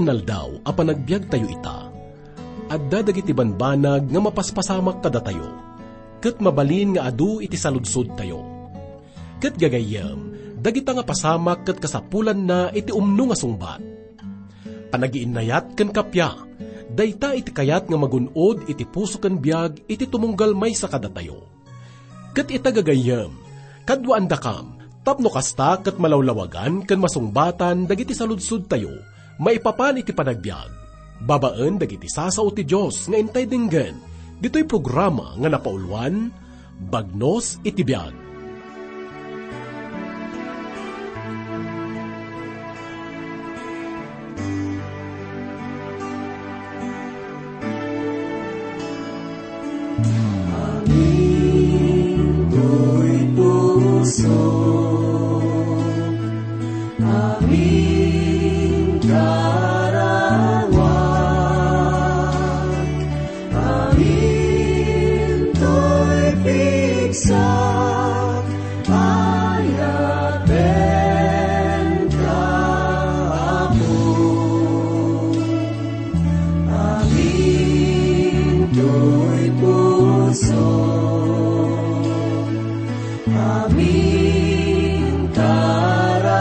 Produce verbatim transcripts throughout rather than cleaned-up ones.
Aldaw a panagbiagtayo ita, adda dagiti banbanag nga mapaspasamak kadatayo, ket mabalin nga adu iti saludsodtayo. Ket gagayyem, dagita nga pasamak ket kasapulanna iti umno nga sungbat. Panagiinnayat ken kappia, dayta iti kayat nga magun-od iti puso ken biag iti tumunggal maysa kadatayo. Ket ita gagayyem, kaduaandakam, tapno kasta ket malawlawagan ken masungbatan dagiti saludsodtayo maipapan iti panagbiag, babaen dagiti sasao ti Dios nga intay denggen, ditoy programa nga napauluan, Bagnos iti Biag. Amin toy puso, amin karawak, amin toy pigsa, ayatenka, Apo. Amin toy puso, amin karawak,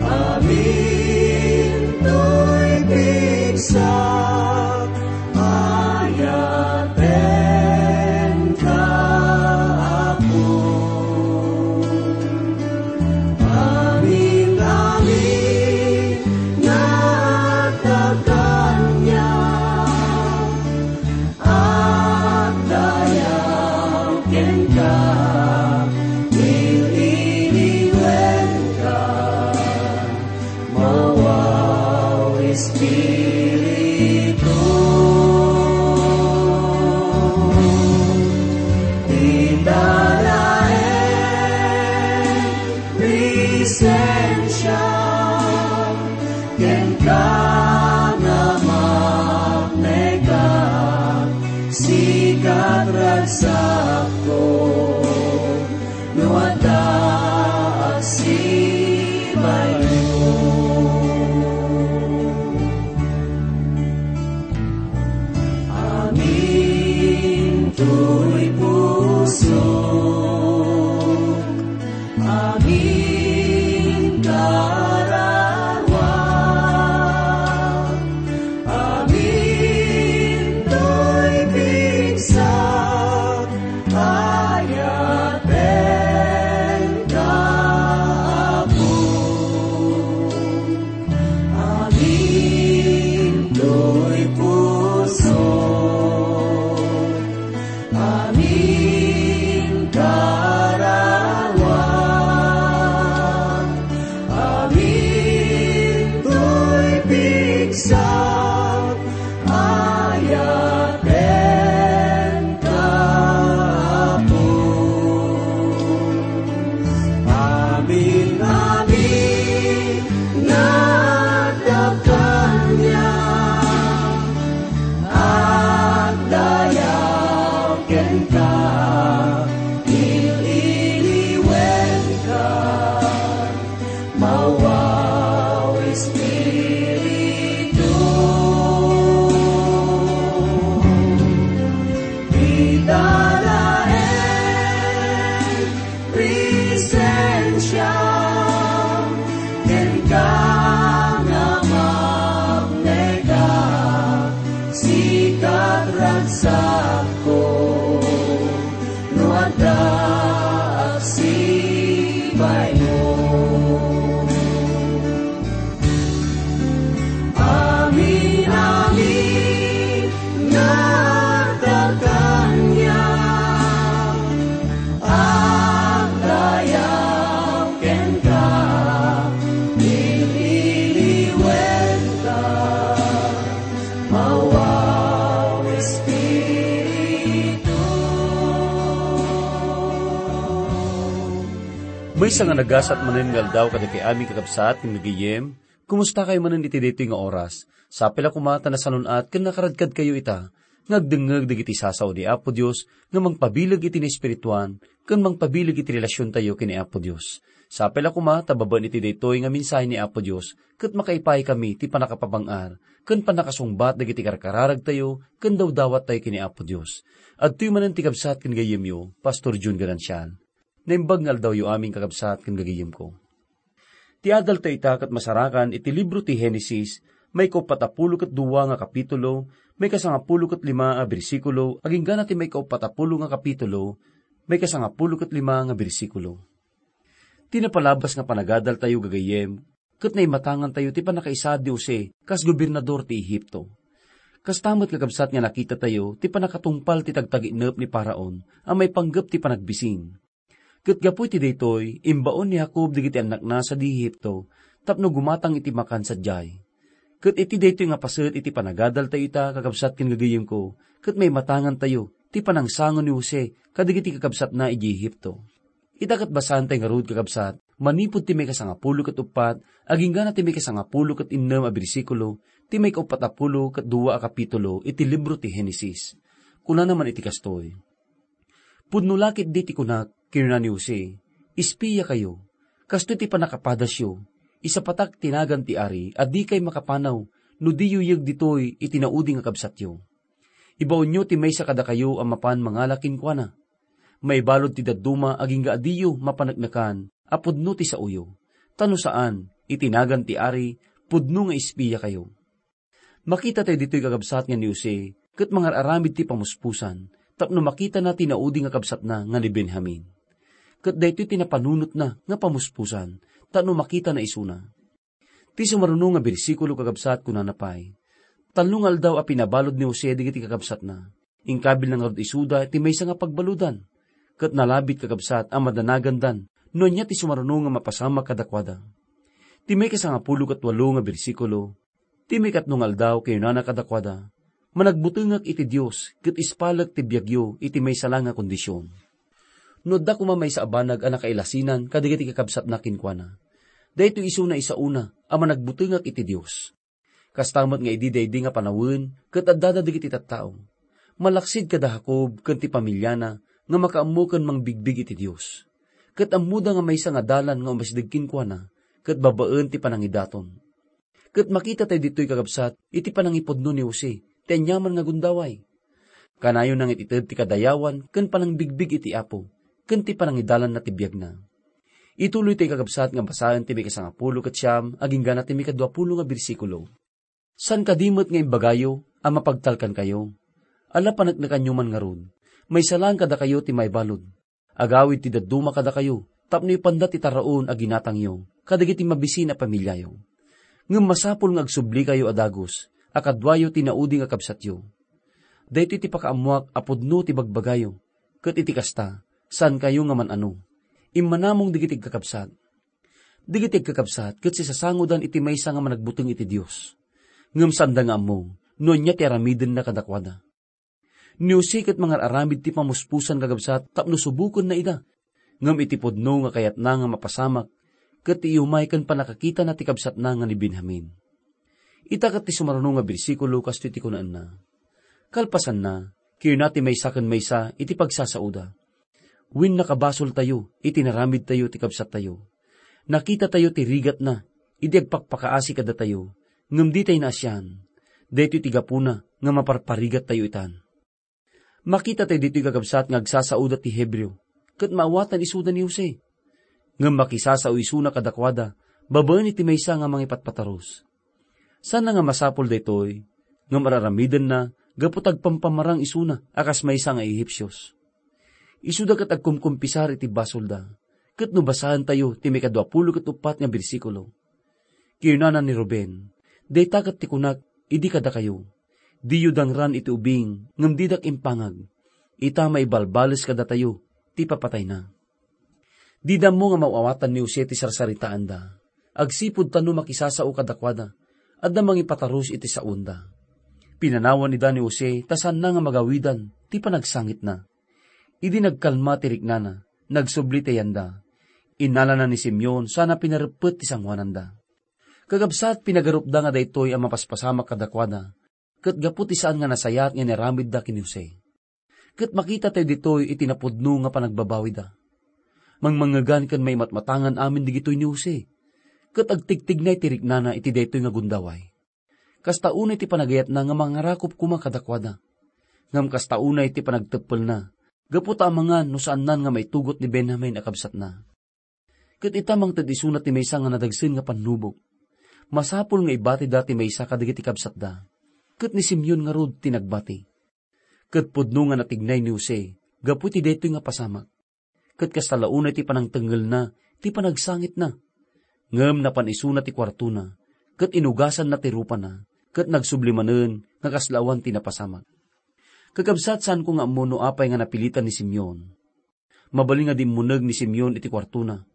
amin toy pigsa, ayatenka, Apo. Amin-amin nga adda kaniak, agdayaw kenka, il-iliwenka, mawaw Espiritu. Ita laeng presensia, kenka nga maknekak, sika ti ragsakko, no adda agsibaymo. Amin toy puso, amin karawak, amin toy pigsa, ayatenka, Apo. Amin toy puso, amin karawak, amin toy pigsa, ayatenka, Apo. Amin-amin nga adda kaniak, agdayaw kenka, il-iliwenka, mawaw Espiritu. Ita laeng presensia, kenka nga maknekak, sika ti ragsakko, no adda agsibaymo. Amin-amin nga adda kaniak, agdayaw kenka, il-iliwenka, mawaw Espiritu. Maysa nga nagasat manen nga aldaw kadagiti amin, kakabsat, ken gagayyem, kumusta kayo manen iti daytoy nga oras? Sapay la koma ta nasanun-at ken nakaradkad kayo ita nga agdengngeg dagiti sasao di Apo Dios nga mangpabileg iti naespirituan ken mangpabileg iti relasiontayo ken ni Apo Dios. Sapay la koma ta babaen iti daytoy nga mensahe ni Apo Dios, ket makaipaay kami ti pannakapabang-ar ken pannakasungbat dagiti karkararagtayo ken dawdawattayo ken ni Apo Dios. Adtoy manen ti kabsat ken gayyemyo, Pastor Jun Garancial. Naimbag nga aldawyo amin, kakabsat ken gayyemko. Ti adaltayo ita ket masarakan iti libro ti Henesis, maikauppat a pulo ket dua nga kapitulo, maikasangapulo ket lima a bersikulo, agingga na ti maikauppat a pulo nga kapitulo, maikasangapulo ket lima nga bersikulo. Ti napalabas nga panagadaltayo, gagayyem, ket naimatangantayo ti pannakaisaad ni Jose kas gobernador ti Ehipto. Kasta met, kakabsat, nga nakitatayo ti pannakatungpal ti tagtaginep ni Faraon a maipanggep ti panagbisin. Ket gapu iti daytoy, imbaon ni Jacob dagiti annakna sadi Ehipto tapno gumatang iti makan sadiay. Ket iti daytoy nga paset iti panagadaltayo ita, kakabsat ken gagayyemko, ket maimatangantayo ti panangsango ni Jose kadagiti kakabsatna idiay Ehipto. Ita ket basaentayo ngarud, kakabsat, manipud ti maikasangapulo ket uppat, agingga na ti maikasangapulo ket innem a bersikulo, ti maikauppat a pulo ket dua a kapitulo iti libro ti Henesis. Kunana man iti kastoy, "Pudno la ketdi ti kunak," kinuna ni Jose, "Espia kayo. Kastoy ti pannakapadasyo. Isapatak ti nagan ti ari a dikay makapanaw no diyo yeg ditoy iti naudi nga kabsatyo. Ibaonyo ti maysa kadakayo a mapan mangala kenkuana. Maibalud ti dadduma agingga a diyo mapaneknekan a pudno ti saoyo. Ta no saan, iti nagan ti ari, pudno nga espia kayo." Makitatayo ditoy, kakabsat, nga ni Jose ket mangar-aramid ti pamuspusan tapno makitana ti naudi nga kabsatna nga ni Benjamin. Ket daytoy ti napanunotna nga pamuspusan tapno makitana isuna. Ti sumaruno nga bersikulo, kakabsat, kunana pay, "Tallo nga aldaw a pinabalud ni Jose dagiti kakabsatna. Inkabilna ngarud isuda ti maysa nga pagbaludan, ket nalabit, kakabsat, a madanagandan no ania ti sumaruno nga mapasamak kadakuada." Ti maikasangapulo ket walo nga bersikulo, "Ti maikatlo nga aldaw, kinunana kadakuada, 'Managbutengak iti Dios ket ispalek ti biagyo iti maysa la nga kondision.' No adda koma maysa a banag a nakailasinan kadagiti kakabsatna kenkuana, daytoy isuna isaona a managbutengak iti Dios. Kasta met nga idi daydi nga panawen ket addada dagiti tattao, malaksid kada Jacob ken ti pamiliana nga makaammo ken mangbigbig iti Dios. Ket ammoda nga maysa nga dalan nga umasdeg kenkuana ket babaen ti panangidaton." Ket makitatayo ditoy, kakabsat, iti panangipudno ni Jose ti aniaman nga gundaway. Kanayon nga it-ited ti kadayawan ken panangbigbig iti Apo ken ti panangidalanna ti biagna. Ituloytayo, kakabsat, nga basaen ti maikasangapulo ket siam agingga na ti maikaduapulo nga bersikulo. "Saan kadi met nga imbagayo a mapagtalkankayo? Ala, paneknekanyo man ngarud. Maysa laeng kadakayo ti maibalud. Agawid ti dadduma kadakayo tapno ipanda ti taraon a ginatangyo kadagiti mabisin a pamiliayo. Ngem masapul nga agsublikayo a dagus a kaduayo ti naudi nga kabsatyo. Daytoy ti pakaammoak a pudno ti bagbagayo, ket iti kasta, saankayo nga man-ano. Immanamong dagiti agkakabsat. Dagiti agkakabsat ket sisasangodan iti maysa nga managbuteng iti Dios. Ngem saanda nga ammo no ania ti aramidenna kadakuada." Ni Jose ket mangar-aramid ti pamuspusan, kakabsat, tapno subokenna ida. Ngem iti pudno nga kayatna nga mapasamak, ket ti iyumay ken pannakakitana ti kabsatna nga ni Benjamin. Ita ket ti sumaruno nga bersikulo, kastoy ti kunaenna, "Kalpasanna, kinuna ti maysa ken maysa iti pagsasaoda, 'Wen, nakabasoltayo iti naramidtayo ti kabsattayo. Nakitatayo ti rigatna idi agpakpakaasi kadatayo, ngem ditay naasian. Daytoy ti gapuna nga maparparigattayo itan.'" Makitatayo ditoy, kakabsat, nga agsasaoda ti Hebreo, ket maawatan isuda ni Jose. Ngem makisasao isuna kadakuada babaen iti maysa nga mangipatpatarus. Saanna nga masapul daytoy, ngem ar-aramidenna gapu ta agpampamarang isuna a kas maysa nga Ehipsios. Isuda ket agkumkumpisar iti basolda, ket no basaentayo ti maikaduapulo ket uppat nga bersikulo, kinunana ni Ruben, "Dayta ket ti kunak idi kadakayo, 'Diyo dangran iti ubing ngem didak impangag.' Ita, maibalbales kadatayo ti papatayna." Dida ammo nga maawatan ni Jose ti sarsaritaanda. Agsipud ta no makisasao kadakuada, adda mangipatarus iti saonda. Pinanawan ida ni Jose ta saanna nga magawidan ti panagsangitna. Idi nagkalma ti riknana, nagsubli ti ayanda. Innalana ni Simeon sana pinareppet ti sangoananda. Kakabsat, pinagarupda nga daytoy a mapaspasamak kadakuada, ket gapu ti saan nga nasayaat nga inaramidda ken ni Jose. Ket makitatayo ditoy iti napudno nga panagbabawida. Mangmangegan ken maimatmatangan amin digitoy ni Jose, ket agtigtignay ti riknana iti daytoy nga gundaway. Kasta unay ti panagayatna nga mangarakop koma kadakuada. Ngem kasta unay ti panagteppelna, gapu ta amangan no saannan nga maitugot ni Benjamin a kabsatna. Ket ita mangted isuna ti maysa nga nadagsen nga pannubok. Masapul nga ibatida ti maysa kadagiti kabsatda. Ket ni Simeon ngarud ti nagbati. Ket pudno nga natignay ni Jose gapu iti daytoy nga pasamak. Ket kasta la unay ti panangtengngelna ti panagsangitna. Ngem napan isuna ti kuartona, ket inugasanna ti rupana, ket nagsubli manen nga kasla awan ti napasamak. Kakabsat, saanko nga ammo no apay nga napilitan ni Simeon. Mabalin nga dimmuneg ni Simeon iti kuartona.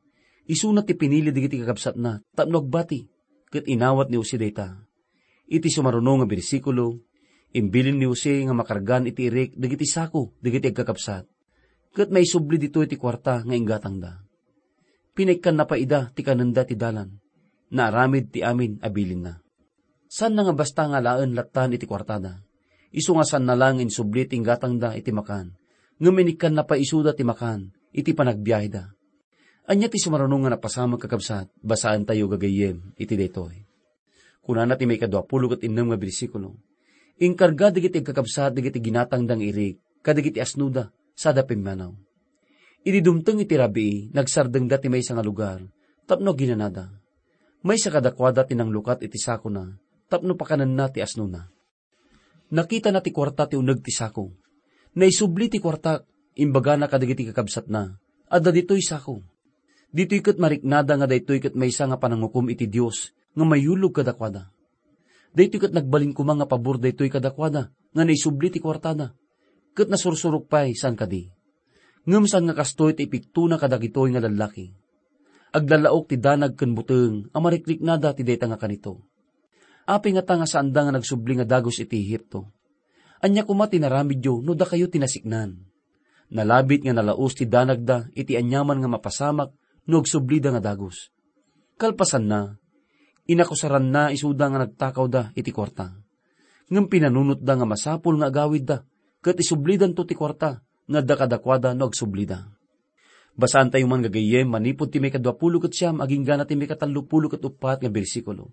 Isuna ti pinili dagiti kakabsatna tapno agbati, ket inawat ni Jose dayta. Iti sumaruno nga bersikulo, imbilin ni Jose nga makargan iti irik dagiti sako dagiti agkakabsat, ket maisubli ditoy ti kuarta nga inggatangda. Pinaikkanna pay ida ti kanenda ti dalan. Naaramid ti amin a bilinna. Saanna nga basta nga alaen lattan iti kuartada. Isu nga saanna la nga insubli ti inggatangda iti makan, ngem inikkanna pay isuda ti makan iti panagbiaheda. Ania ti sumaruno nga napasamak, kakabsat? Basaentayo gagayyem iti daytoy. Kunana ti maikadua pulo ket innem nga bersikulo, "Inkarga dagiti agkakabsat dagiti ginatangda nga irik kadagiti asnoda sada pimmanaw. Idi dumteng iti rabii, nagsardengda ti maysa nga lugar tapno aginanada. Maysa kadakuada ti nanglukat iti sakona tapno pakanenna ti asnona. Nakitana ti kuarta ti uneg ti sako. Naisubli ti kuarta, imbagana kadagiti kakabsatna, 'Adda ditoy sako.' Ditoy ket mariknada nga daytoy ket maysa nga panangukom iti Dios nga mayulog kadakuada. Daytoy ket nagbalin koma nga pabor daytoy kadakuada nga naisubli ti kuartada, ket nasursurok pay saan kadi. Ngem saan nga kastoy ti ipiktona kadagitoy nga lallaki. Aglalaok ti danag ken buteng a marikliknada ti dayta nga kanito. Apay ngata nga saanda nga nagsubli nga dagus iti Egipto? Ania koma ti naramidyo no dakayo ti nasiknan? Nalabit nga nalaus ti danagda iti aniaman nga mapasamak no agsublida nga dagus. Kalpasanna, inakusaranna isuda nga nagtakawda iti kuarta. Ngem pinanunotda nga masapul nga agawidda, ket isublidanto ti kuarta nga adda kadakuada no agsublida." Basaantayo man gagayyem manipud ti maikadua pulo ket siam agingga na ti maikatallo pulo ket uppat nga bersikulo.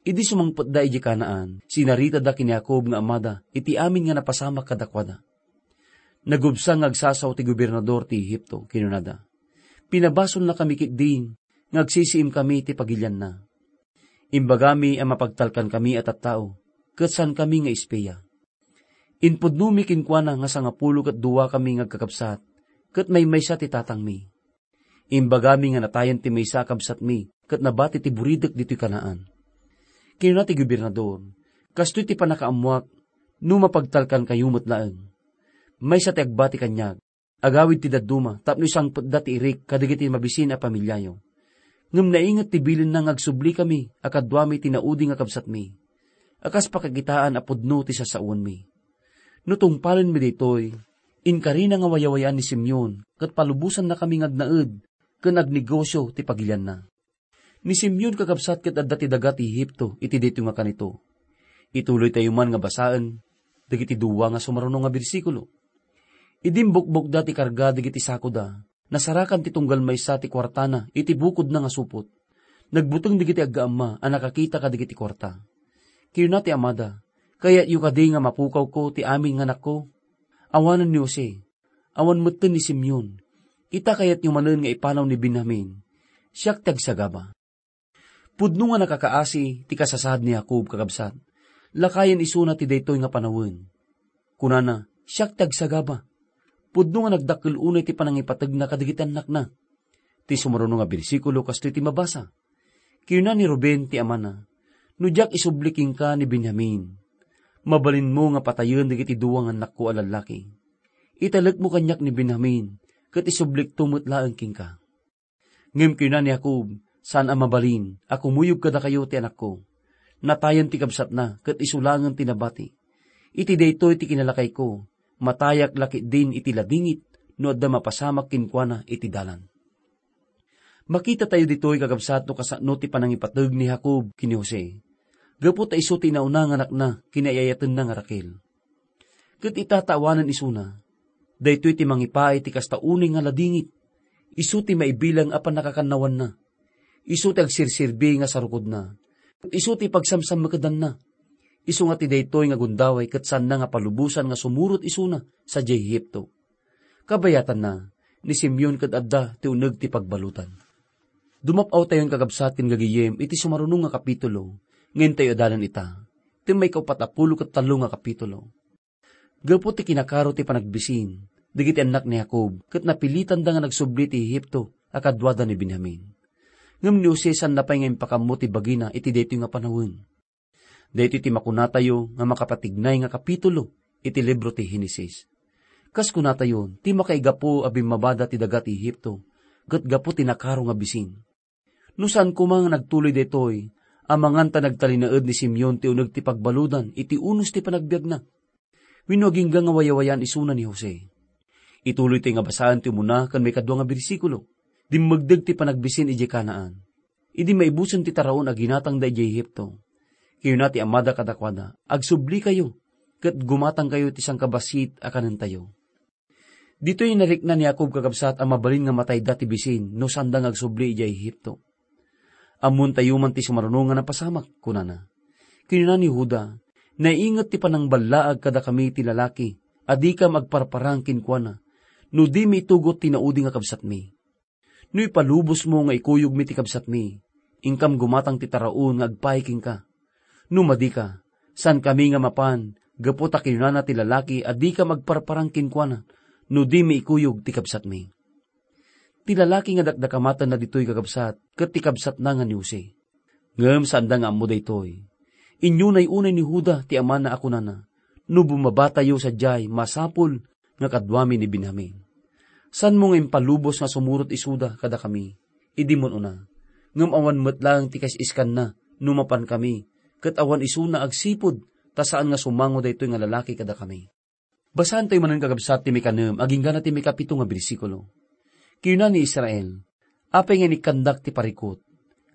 Idi sumangpetda idiay Canaan, sinaritada ken ni Jacob nga amada iti amin nga napasamak kadakuada. "Nagubsang nga agsasao ti gobernador ti Egipto," kinunada. "Pinabasolnakami ketdin nga agsisiimkami ti pagilianna. Imbagami a mapagtalkankami a tattao, ket saankami nga espia. Impudnomi kenkuana nga sangapulo ket duakami nga agkakabsat, ket maymaysa ti tatangmi. Imbagami nga natayen ti maysa a kabsatmi ket nabati ti buridek ditoy Canaan." Kinuna ti gobernador, "Kastoy ti pannakaammoak no mapagtalkankayo met laeng. Maysa ti agbati kaniak, agawid ti dadduma tapno isangpetda ti irik kadagiti mabisin a pamiliayo. Ngem nainget ti bilinna nga agsublikami a kaduami ti naudi nga kabsatmi, a kas pakakitaan a pudno ti sassawenmi. No tungpalenmi daytoy, inkarina nga wayawayaan ni Simeon ket palubosannakami nga agnaed ken agnegosio ti pagilianna." Ni Simeon, kakabsat, ket adda ti daga ti Egipto iti daytoy nga kanito. Ituloytayo man nga basaen dagiti dua nga sumaruno nga bersikulo. Idi imbukbokda ti karga dagiti sakoda, nasarakan ti tunggal maysa ti kuartana iti bukodna nga supot. Nagbuteng dagiti aggaamma a nakakita kadagiti kuarta. Kinuna ti amada, "Kayatyo kadi nga mapukawko ti amin nga anakko?" Awanen ni Jose, awan metten ni Simeon. Ita kayatyo manen nga ipanaw ni Benjamin, siak ti agsagaba. Pudno nga nakakaasi ti kasasaad ni Jacob, kakabsat. Lakayen isuna ti daytoy nga panawen. Kunana, "Siak ti agsagaba." Pudno nga nagdakkel unay ti panangipategna kadagiti annakna. Ti sumaruno nga bersikulo kastoy ti mabasa. Kinuna ni Ruben ti amana, "No diak isubli kenka ni Benjamin, mabalinmo nga patayen dagiti dua nga annakko a lallaki. Italekmo kaniak ni Benjamin, ket isublikto met laeng kenka." Ngem kinuna ni Jacob, "Saan a mabalin a kumuyog kadakayo ti anakko. Natayen ti kabsatna, ket isu laengen ti nabati. Iti daytoy ti kinalakayko, matayak la ketdin iti ladingit no adda mapasamak kenkuana iti dalan." Makitatayo ditoy, kakabsat, no kasano ti panangipateg ni Jacob ken ni Jose, gapu ta isu ti inauna nga anakna ken ni ay-ayatenna nga Raquel. Ket ita ta awanen isuna, daytoy ti mangipaay ti kasta unay nga ladingit. Isu ti maibilang a pannakakannawanna. Isu ti agsirsirbi nga sarukodna. Isu ti pagsamsammekedanna. Isu nga ti daytoy nga gundaway ket saanna nga palubosan nga sumurot isuna sadiay Egipto. Kabayatanna, ni Simeon ket adda ti uneg ti pagbaludan. Dumap-awtayon, kakabsat, ken gagayyem iti sumaruno nga kapitulo, nga intayo adalan ita, ti maikaupat a pulo ket tallo nga kapitulo. Gapu ti kinakaro ti panagbisin, dagiti annak ni Jacob ket napilitanda nga nagsubli ti Egipto a kaduada ni Benjamin. Ngem ni Jose saanna pay nga impakammo ti bagina iti daytoy nga panawen. Daytoy ti makunatayo nga makapatignay nga kapitulo iti libro ti Genesis. Kas kunatayo, ti makaigapu a bimmabada ti daga ti Egipto, ket gapu ti nakaro nga bisin. No saan koma nga nagtuloy daytoy, amangan ta nagtalinaed ni Simeon ti uneg ti pagbaludan iti unos ti panagbiagna. Wenno agingga nga wayawayaan isuna ni Jose. Ituloytoy nga basaen ti umuna ken maikadua nga bersikulo. Dimmegdeg ti panagbisin idiay Canaan. Idi maibusen ti taraon a ginatangda idiay Egipto, kinuna ti amada kadakuada, "Agsublikayo, ket gumatangkayo ti sangkabassit a kanentayo." Ditoy narikna ni Jacob, kakabsat, a mabalin nga matayda ti bisin no saanda nga agsubli idiay Egipto. Ammontayo man ti sumaruno nga napasamak, kunana. Kinuna ni Juda, "Nainget ti panangballaag kadakami ti lalaki a dikam agparparang kenkuana, no dimi itugot ti naudi nga kabsatmi. No ipalubosmo nga ikuyogmi ti kabsatmi, inkam gumatang ti taraon nga agpaay kenka. No madika, saankami nga mapan, gapu ta kinunana ti lalaki a dikam agparparang kenkuana no dimi ikuyog ti kabsatmi." Ti lalaki nga dakdakamatenna ditoy, kakabsat, ket ti kabsatna nga ni Jose. Ngem saanda nga ammo daytoy. Inyunay unay ni Juda ti amana a kunana, "No bumabatayo sadiay, masapul nga kaduami ni Benjamin. Saanmo nga impalubos nga sumurot isuda kadakami idi mun-una, ngem awan met laeng ti kaisiskanna no mapankami, ket awan isuna agsipud ta saan nga sumango daytoy nga lalaki kadakami." Basaentayo manen, kakabsat, ti maikanem agingga ti maikapito nga bersikulo. Kinuna ni Israel, "Apay nga inikkandak ti parikut?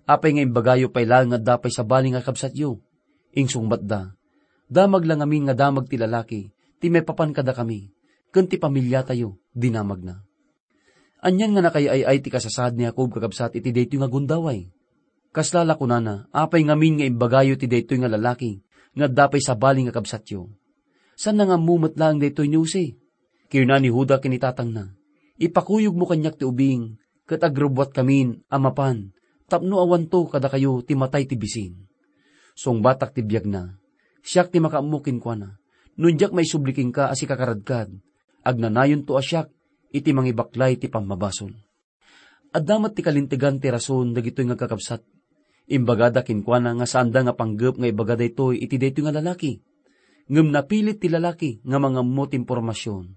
Apay nga imbagayo pay laeng nga adda pay sabali nga kabsatyo?" Insungbatda, "Damag la ngamin nga damag ti lalaki ti maipapan kadakami, ken ti pamiliatayo dinamagna." Anian nga nakaay-ay ti kasasaad ni Jacob, kakabsat, iti daytoy nga gundaway. Kasla la kunana, "Apay ngamin nga imbagayo ti daytoy nga lalaki nga adda pay sabali nga kabsatyo? Saanna nga ammo met laeng daytoy ni Jose?" Kinuna ni Juda ken ni tatangna, "Ipakuyogmo kaniak ti ubing, ket agrubbuatkamin a mapan, tapno awanto kadakayo ti matay ti bisin. Sungbatak ti biagna, siak ti makaammo kenkuana. No diak maisubli kenka a sikakaradkad, agnanayonto a siak iti mangibaklay ti pammabasol." Adda met ti kalintegan ti rason dagitoy nga kakabsat. Imbagada kenkuana nga saanda nga panggep nga ibaga daytoy iti daytoy nga lalaki. Ngem napilit ti lalaki nga mangammo ti impormasion,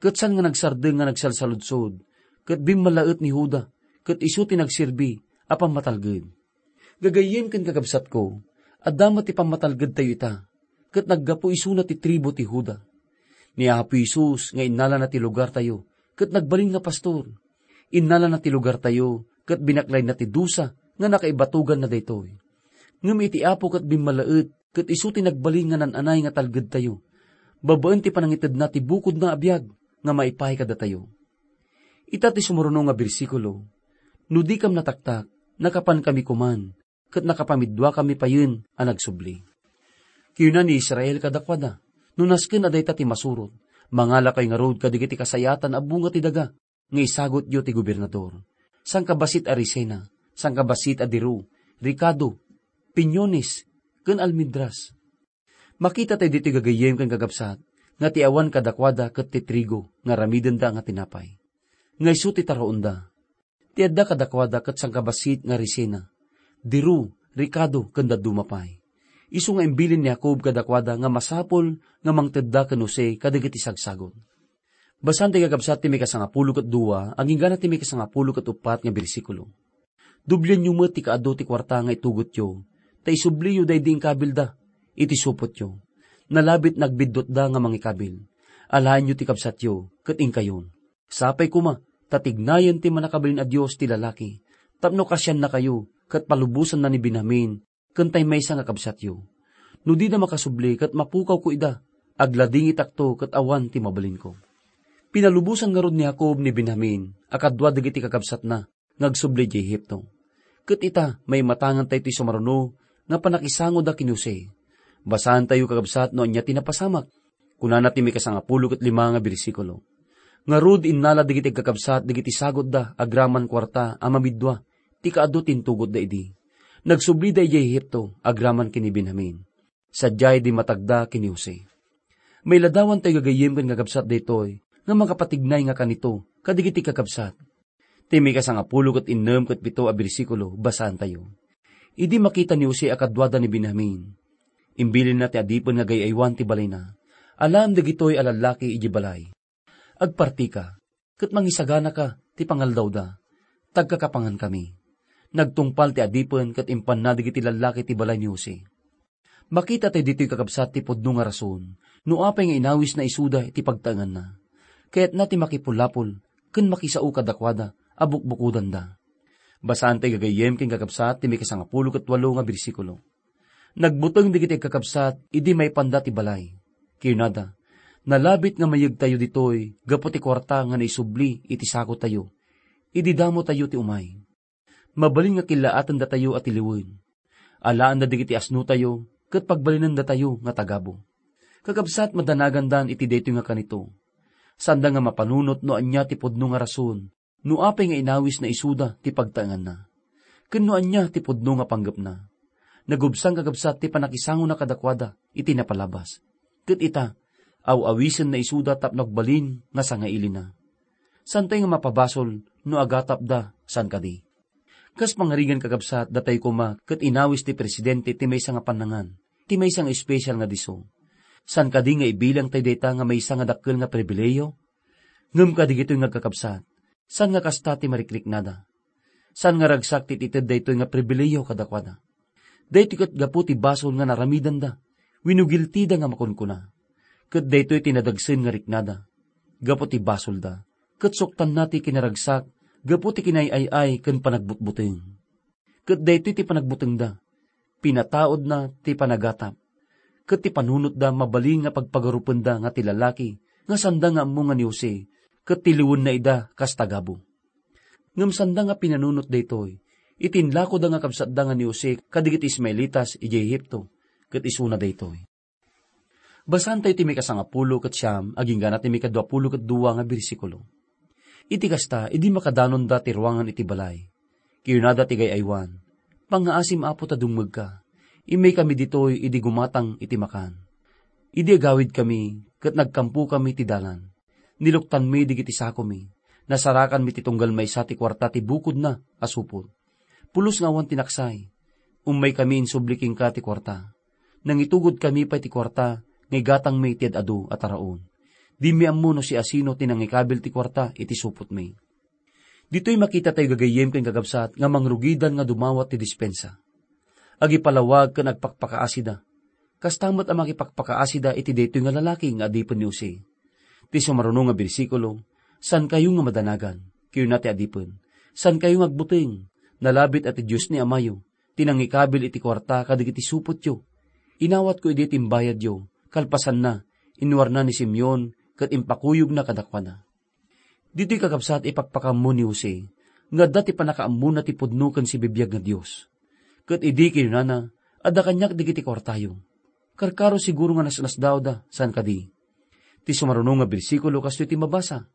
ket saan nga nagsardeng nga nagsalsaludsod, ket bimmalaet ni Juda, ket isu ti nagserbi a pammatalged. Gagayyem ken kakabsatko, adda met ti pammatalgedtayo ita, ket naggapu isuna ti tribu ti Juda. Ni Apo Jesus nga innalana ti lugartayo, ket nagbalin nga pastor. Innalana ti lugartayo, ket binaklayna ti dusa nga nakaibatoganna daytoy. Ngem iti Apo ket bimmalaet, ket isu ti nagbalin nga nan-anay nga talgedtayo, babaen ti panangitedna ti bukodna a biag nga maipaay kadatayo. Ita ti sumuruno nga bersikulo, "No dikam nataktak, nakapankami koman, ket nakapamidduakami payen a nagsubli." Kinuna ni Israel kadakuada, "No nasken a dayta ti masurot, mangalakayo ngarud kadagiti kasayaatan a bunga ti daga nga isagutyo ti gobernador, sangkabassit a resena, sangkabassit a diru, rekado, pinyones, ken almendras." Makitatayo ditoy, gagayyem ken kakabsat, nga ti awan kadakuada ket ti trigo nga aramidenda nga tinapay, nga isu ti taraonda. Ti adda kadakuada ket sangkabassit nga resena, diru, rekado, ken dadduma pay. Isu nga imbilin ni Jacob kadakuada nga masapul nga mangtedda ken Jose kadagiti sagsagut. Basaen ti kakabsat ti maikasangapulo ket dua, agingga ti maikasangapulo ket uppat nga bersikulo. "Doblianyo met ti kaadu ti kuarta nga itugotyo, ta isubliyo daydi inkabilda iti supotyo. Nalabit nagbiddutda nga mangikabil. Alaenyo ti kabsatyo, ket inkayon. Sapay koma, ta tignayen ti Mannakabalin a Dios ti lalaki, tapno kasiannakayo, ket palubosanna ni Benjamin, ken tay maysa nga kabsatyo. No dida makasubli ket mapukawko ida, agladingitakto ket awan ti mabalinko." Pinalubosan ngarud ni Jacob ni Benjamin a kadua dagiti kakabsatna nga agsubli idiay Egipto. Ket ita, maimatangan tayo ti sumaruno nga panakisangoda ken ni Jose. Basaan tayo, kakabsat, no ania ti napasamak. Kunana ti maikasangapulo ket lima nga bersikulo, "Ngarud, innala dagiti agkakabsat dagiti sagutda agraman kuarta a mamiddua ti kaadu ti intugotda idi. Nagsublida idiay Egipto agraman ken ni Benjamin. Sadiay dimmatagda ken ni Jose." Mailadawan tayo gagayyem ken kakabsat daytoy nga makapatignay nga kanito kadagiti kakabsat. Ti maikasangapulo ket innem ket pito a bersikulo, basaan tayo, "Idi makita ni Jose a kaduada ni Benjamin, imbilinna ti adipen nga agay-aywan ti balayna. Alaem dagitoy a lallaki idiay balay. Agpartika, ket mangisaganaka ti pangaldawda. Tagkakapangankami." Nagtungpal ti adipen ket impanna dagiti lallaki ti balay ni Jose. Makita tayo ditoy, kakabsat, ti pudno nga rason no apay nga inawisna isuda iti pagtaenganna. Kayatna ti makipulapol ken makisao kadakuada a bukbukodanda. Basaan tayo gagayyem ken kakabsat ti maikasangapulo ket walo nga bersikulo. Nagbuteng dagiti agkakabsat idi maipanda ti balay. Kinunada, "Nalabit nga mayegtayo ditoy gapu ti kuarta nga naisubli iti sakotayo idi damotayo ti umay. Mabalin nga killaatendatayo a tiliwen. Alaenda dagiti asnotayo ket pagbalinendatayo nga tagabu." Kakabsat, madanagandan iti daytoy nga kanito. Saanda nga mapanunot no ania ti pudno nga rason no apay nga inawisna isuda ti pagtaenganna, ken no ania ti pudno nga panggepna. Nagubsang, kakabsat, ti panakisangona kadakuada iti napalabas. Ket ita, aw-awisenna isuda tapno agbalin nga sangailina. Saantayo nga mapabasol no agatapda, saan kadi? Kas pangarigan, kakabsat, datayo koma ket inawis ti presidente ti maysa nga pannangan, ti maysa nga espesyal nga disso. Saan kadi nga ibilangtayo dayta nga maysa nga dakkel nga pribilehiyo? Ngem kadagitoy nga agkakabsat, saan nga kasta ti marikriknada. Saan nga ragsak ti itited daytoy nga pribilehiyo kadakuada. Daytoy ket gapu ti basol nga naramidanda wenno giltida nga makunkuna. Ket daytoy ti nadagsen nga riknada. Gapu ti basolda, ket suktanna ti kinaragsak gapu ti kinay-ay-ay ken panagbutbuteng. Ket daytoy ti panagbutengda, pinataudna ti panagatap, ket ti panunotda mabalin nga pagpagarupenda nga ti lalaki nga saanda nga ammo nga ni Jose, ket tiliwenna ida kas tagabu. Ngem saanda nga pinanunot daytoy, iti inlakoda nga kabsatda nga ni Jose kadagiti Ismaelitas idiay Egipto, ket isuna daytoy. Basaantayo ti mikasangapulo ket siam agingga ti mikaduapulo ket dua nga bersikulo. Iti kasta, idi makadanonda ti ruangan iti balay, kinunada ti gay-aywan, "Pangngaasim, Apo, ta dumngegka. Immaykami ditoy idi gumatang iti makan. Idi agawidkami ket nagkampokami ti dalan, niluktanmi dagiti sakomi, nasarakanmi ti tunggal maysa ti kuarta ti bukodna a supot. Pulos nga awan ti naksay, ummaykami insubli kenka ti kuarta. Nangitugodkami pay ti kuarta nga igatangmi iti ad-adu a taraon. Dimi ammo no siasino ti nangikabil ti kuarta iti supotmi." Ditoy makitatayo, gagayyem ken kakabsat, nga mangrugidan nga dumawat ti dispensa. Agipalawag ken agpakpakaasida. Kasta met a makipakpakaasida iti daytoy nga lalaki nga adipen ni Jose. Ti sumaruno nga bersikulo, "Saankayo nga madanagan," kinuna ti adipen. "Saankayo nga agbuteng. Nalabit a ti Dios ni amayo ti nangikabil iti kuarta kadagiti supotyo. Inawatko idi ti imbayadyo." Kalpasanna, inwarna ni Simeon ket impakuyogna kadakuada. Ditoy, kakabsat, ipakpakaammo ni Jose nga adda ti pannakaammona ti pudno ken sibibiag nga Dios. Ket idi kinunana, "Adda kaniak dagiti kuartayo," karkaro siguro nga nasnasdaawda, saan kadi? Ti sumaruno nga bersikulo kastoy ti mabasa.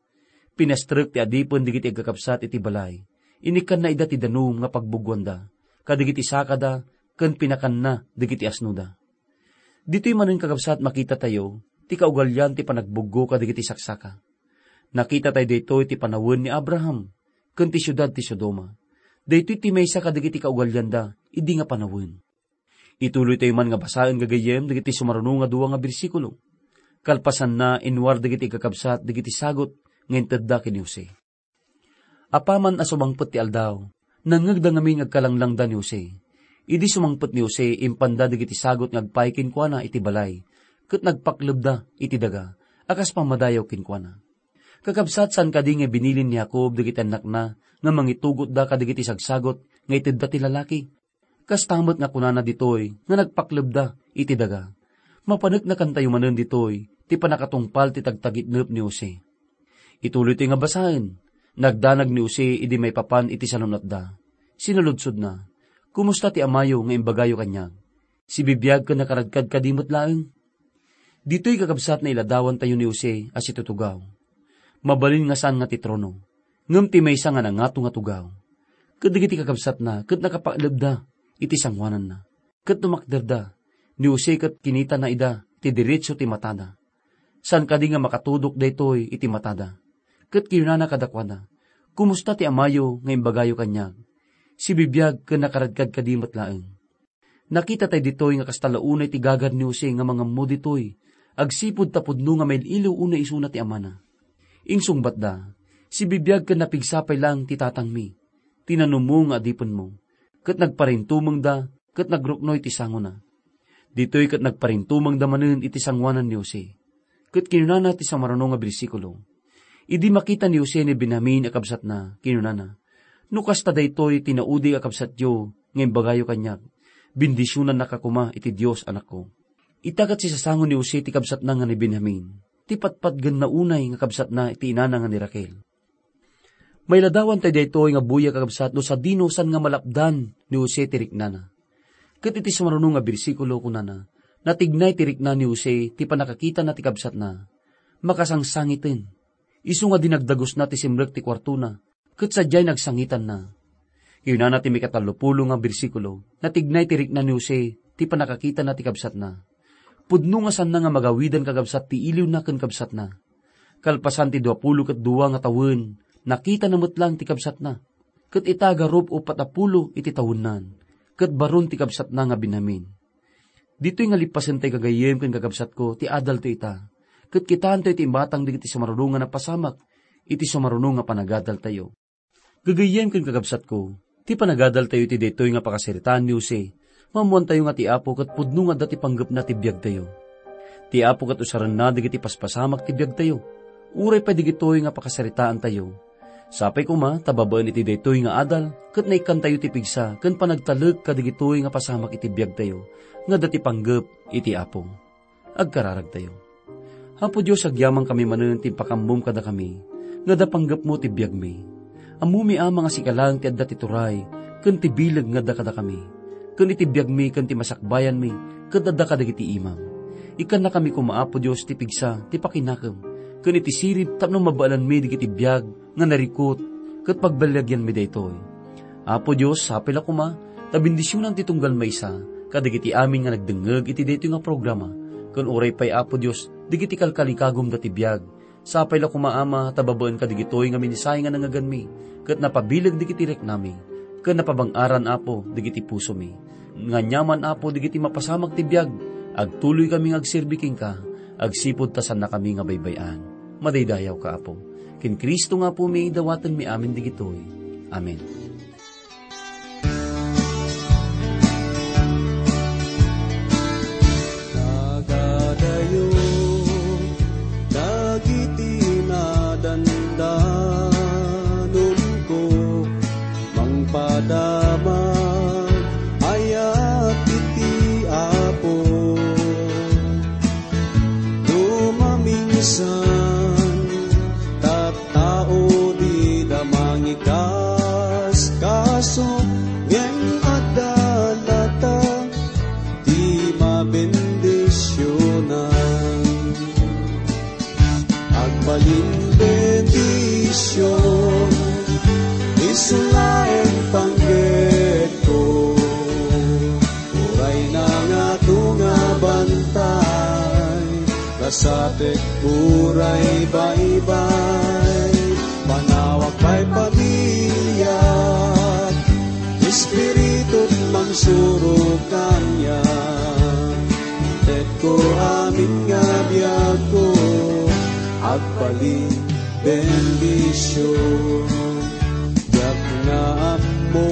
Pinastrek ti adipen dagiti agkakabsat iti balay. Inikkanna ida ti danum nga pagbuggoanda, kadagiti sakada, ken pinakanna dagiti asnoda. Ditoy manen, kakabsat, makitatayo ti kaugalian ti panagbuggo kadagiti saksaka. Nakitatayo daytoy ti panawen ni Abraham ken ti siudad ti Sodoma. Daytoy ti maysa kadagiti kaugalianda idi nga panawen. Ituloytayo man nga basaen, gagayyem, dagiti sumaruno nga dua nga bersikulo. Kalpasanna, inwar dagiti agkakabsat dagiti sagut nga intedda ken ni Jose. Apaman a sumangpet ti aldaw, nangngegda ngamin nga agkalanglangda ni Jose. Idi sumangpet ni Jose, impanda dagiti sagut nga agpaay kenkuana iti balay, ket nagpaklebda iti daga a kas pammadayaw kenkuana. Kakabsat, saan kadi nga binilin ni Jacob dagiti annakna nga mangitugotda kadagiti sagsagut nga itedda ti lalaki? Kasta met nga kunana ditoy nga nagpaklebda iti daga. Mapaneknakantayo manen ditoy ti pannakatungpal ti tagtagitnep ni Jose. Ituloy toy nga basaen. Nagdanag ni Jose idi maipapan iti salun-atda. Sinaludsodna, "Kumusta ti amayo nga imbagayo kaniak? Sibibiag ken nakaradkad kadi met laeng?" Ditoy, kakabsat, nailadawantayo ni Jose a situtugaw. Mabalin nga saan nga ti trono, ngem ti maysa nga nangato nga tugaw. Ket dagiti kakabsatna ket nakapaklebda iti sangoananna. Ket tumakderda, ni Jose ket kinitana ida ti diretso ti matada. Saan kadi nga makatudok daytoy iti matada. Ket kinunana kadakuada, "Kumusta ti amayo nga imbagayo kaniak? Sibibiag ken nakaradkad kadi met laeng?" Nakita tayo ditoy nga kasta la unay ti gagad ni Jose nga mangammo ditoy, agsipud ta pudno nga mail-iliw unay isuna ti amana. Insungbatda, "Sibibiag ken napigsa pay laeng ti tatangmi, ti nanumo nga adipenmo." Ket nagparintumengda ket nagruknoy ti sangona. Ditoy ket nagparintumengda manen iti sangoanan ni Jose. Ket kinunana ti sumaruno nga bersikulo, idi makita ni Jose ni Benjamin a kabsatna, kinunana, "No kasta daytoy ti naudig a kabsatyo nga imbagayo kaniak, bendisionannaka koma iti Dios, anakko." Ita ket sisasango ni Jose ti kabsatna nga ni Benjamin, ti patpatgenna unay nga kabsatna iti inana nga ni Raquel. Mailadawan tayo daytoy nga buya, kakabsat, no sadino saan nga malapdan ni Jose ti riknana. Ket iti sumaruno nga bersikulo, kunana, "Natignay ti rikna ni Jose ti pannakakitana ti kabsatna. Makasangsangiten. Isu nga dinagdagusna ti simrek ti kuartona, ket sadiay nagsangitanna." Kinunana ti mikatallopulo nga bersikulo, "Natignay ti rikna ni Jose ti pannakakitana ti kabsatna. Pudno nga saanna nga magawidan, kakabsat, ti iliwna ken kabsatna. Kalpasan ti duapulo ket dua nga tawen, nakitana met laeng ti kabsatna. Ket ita, garup uppat a pulo iti tawennan, ket baron ti kabsatna nga Benjamin." Ditoy nga lippasentayo, gagayyem ken kakabsatko, ti adaltayo ita. Ket kitaentayo ti imatang dagiti sumaruno nga napasamak iti sumaruno nga panagadaltayo. Gagayyem ken kakabsatko, ti panagadaltayo iti daytoy nga pakasaritaan ni Jose, maammoantayo nga ti Apo ket pudno nga adda ti panggepna ti biagtayo. Ti Apo ket usarenna dagiti paspasamak ti biagtayo, uray pay dagitoy nga pakasaritaantayo. Sapay koma ta babaen iti daytoy nga adal ket naikkantayo ti pigsa ken panagtalek kadagitoy nga pasamak iti biagtayo nga adda ti panggep iti Apo. Agkararagtayo. Apo Dios, agyamankami manen ti impakammom kadakami nga adda panggepmo ti biagmi. Ammomi, Ama, nga sika laeng ti adda ti turay ken ti bileg nga adda kadakami, ken iti biagmi ken ti masakbayanmi ket adda kadagiti imam. Ikkannakami koma, Apo Dios, ti pigsa ti pakinakem ken iti sirib tapno mabaelanmi dagiti biag nga narikut ket pagbalilagianmi daytoy. Apo Dios, sapay la koma ta bendisionan ti tunggal maysa kadagiti amin nga nagdengngeg iti daytoy nga programa, ken uray pay, Apo Dios, dagiti kalkalikagumda ti biag. Sapay la koma, Ama, ta babaen kadagitoy nga mensahe nga nangngeganmi ket napabileg dagiti riknami ken napabang-aran, Apo, dagiti pusomi. Nga aniaman, Apo, dagiti mapasamak ti biag, agtuloykami nga agserbi kenka, agsipud ta saannakami nga baybay-an. Madaydayawka, Apo. Ken Cristo nga Apomi, dawatenmi amin dagitoy. Amen. Nagadayo dagiti nadandanumko, mangpadamag ayat iti Apo. No maminsan, tattao dida mangikaskaso, ngem adda latta ti mabendisionan. Agbalin bendision, isu laeng panggepko. Uray nangato nga bantay, kasatek uray baybay, panawak pay pamiliak, Espiritut mangsuro kaniak. Tekko amin nga biagko, agbalin bendision. Diak nga ammo